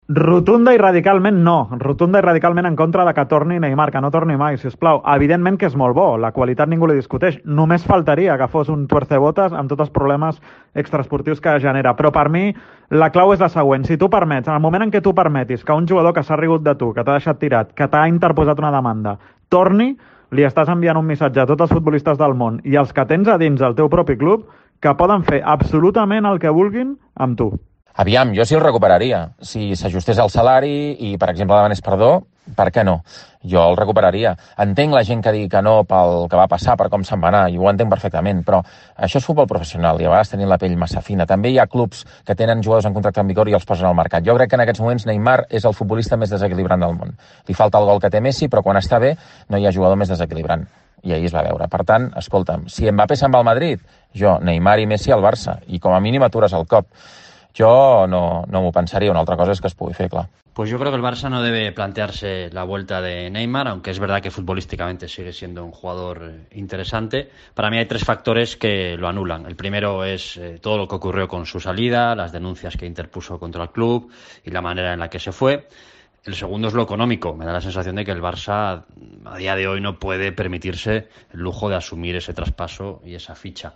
Rotunda i radicalment no. Rotunda i radicalment en contra de que torni Neymar, que no torni mai, si us plau. Evidentment que és molt bo, la qualitat ningú li discuteix. Només faltaria que fos un tuercebotes amb tots els problemes extraesportius que genera. Però per mi la clau és la següent. Si tu permets, en el moment en què tu permetis que un jugador que s'ha rigut de tu, que t'ha deixat tirat, que t'ha interposat una demanda, torni, li estàs enviant un missatge a tots els futbolistes del món i els que tens a dins del teu propi club que poden fer absolutament el que vulguin amb tu. Aviam, jo sí el recuperaria. Si s'ajustés el salari i, per exemple, demanés perdó, per què no? Jo el recuperaria. Entenc la gent que digui que no pel que va passar, per com se'n va anar, i ho entenc perfectament, però això és futbol professional i a vegades tenim la pell massa fina. També hi ha clubs que tenen jugadors en contracte en vigor i els posen al mercat. Jo crec que en aquests moments Neymar és el futbolista més desequilibrant del món. Li falta el gol que té Messi, però quan està bé no hi ha jugador més desequilibrant. I ahir es va veure. Per tant, escolta'm, si Mbappé se'n va al Madrid, jo, Neymar i Messi al Barça, i com a mínim atures el cop. Yo no m'ho pensaría, una otra cosa es que es pugui fer, clar. Pues yo creo que el Barça no debe plantearse la vuelta de Neymar, aunque es verdad que futbolísticamente sigue siendo un jugador interesante. Para mí hay tres factores que lo anulan. El primero es todo lo que ocurrió con su salida, las denuncias que interpuso contra el club y la manera en la que se fue. El segundo es lo económico. Me da la sensación de que el Barça a día de hoy no puede permitirse el lujo de asumir ese traspaso y esa ficha.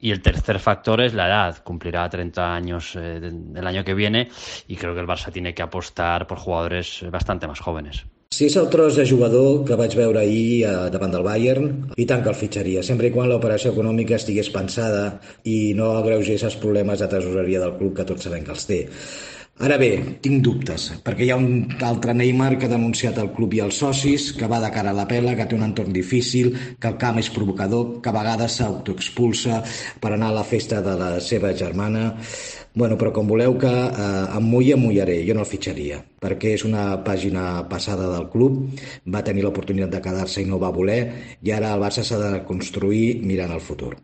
Y el tercer factor es la edad. Cumplirá 30 años el año que viene y creo que el Barça tiene que apostar por jugadores bastante más jóvenes. Si és el tros de jugador que vaig veure ahir davant del Bayern, i tant que el fitxaria, sempre i quan l'operació econòmica estigués pensada i no agreugés els problemes de tresoreria del club, que tots sabem que els té. Ara bé, tinc dubtes, perquè hi ha un altre Neymar que ha denunciat el club i els socis, que va de cara a la pela, que té un entorn difícil, que el camp és provocador, que a vegades s'autoexpulsa per anar a la festa de la seva germana. Bueno, però com voleu que em mullaré, jo no el fitxaria, perquè és una pàgina passada del club, va tenir l'oportunitat de quedar-se i no va voler, i ara el Barça s'ha de construir mirant al futur.